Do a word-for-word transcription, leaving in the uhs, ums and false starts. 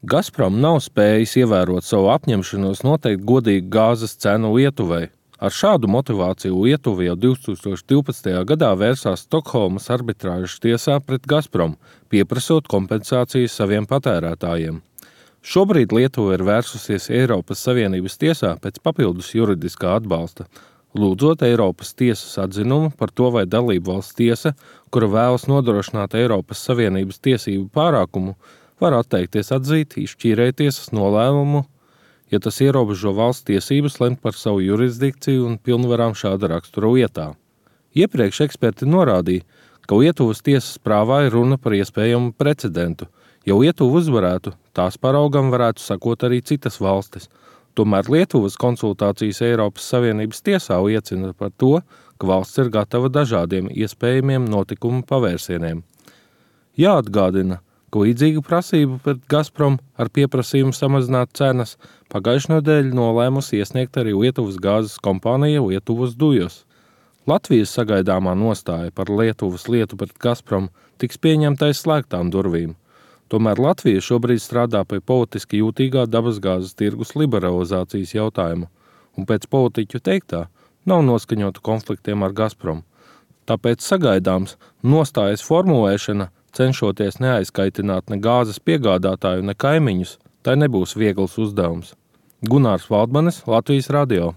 Gazprom nav spējis ievērot savu apņemšanos noteikt godīgu gāzes cenu Lietuvai. Ar šādu motivāciju Lietuva jau divtūkstoš divpadsmitajā gadā vērsās Stokholmas arbitrāžas tiesā pret Gazprom, pieprasot kompensācijas saviem patērētājiem. Šobrīd Lietuva ir vērsusies Eiropas Savienības tiesā pēc papildus juridiskā atbalsta, lūdzot Eiropas tiesas atzinumu par to, vai dalībvalsts tiesa, kura vēlas nodrošināt Eiropas Savienības tiesību pārākumu, var atteikties atzīt izšķīrēja tiesas nolēmumu, ja tas ierobežo valsts tiesības lemt par savu jurisdikciju un pilnvarām šāda rakstura lietā. Iepriekš eksperti norādīja, ka Lietuvas tiesas prāvā ir runa par iespējamu precedentu. Ja Lietuva uzvarētu, tās paraugam varētu sakot arī citas valstis. Tomēr Lietuvas konsultācijas Eiropas Savienības tiesā liecina par to, ka valsts ir gatava dažādiem iespējamiem notikumu pavērsieniem. Jāatgādina, ka līdzīgu prasību pret Gazprom ar pieprasījumu samazināt cenas pagājušajā nedēļā nolēmusi iesniegt arī Lietuvas gāzes kompānija Lietuvas Dujos. Latvijas sagaidāmā nostāja par Lietuvas lietu pret Gazprom tiks pieņemta aiz slēgtām durvīm. Tomēr Latvija šobrīd strādā pie politiski jūtīgā dabasgāzes tirgus liberalizācijas jautājuma, un pēc politiķu teiktā nav noskaņota konfliktiem ar Gazprom. Tāpēc sagaidāms nostājas formulēšana, cenšoties neaizkaitināt ne gāzes piegādātāju, ne kaimiņus, tai nebūs viegls uzdevums. Gunārs Valdmanis, Latvijas radio.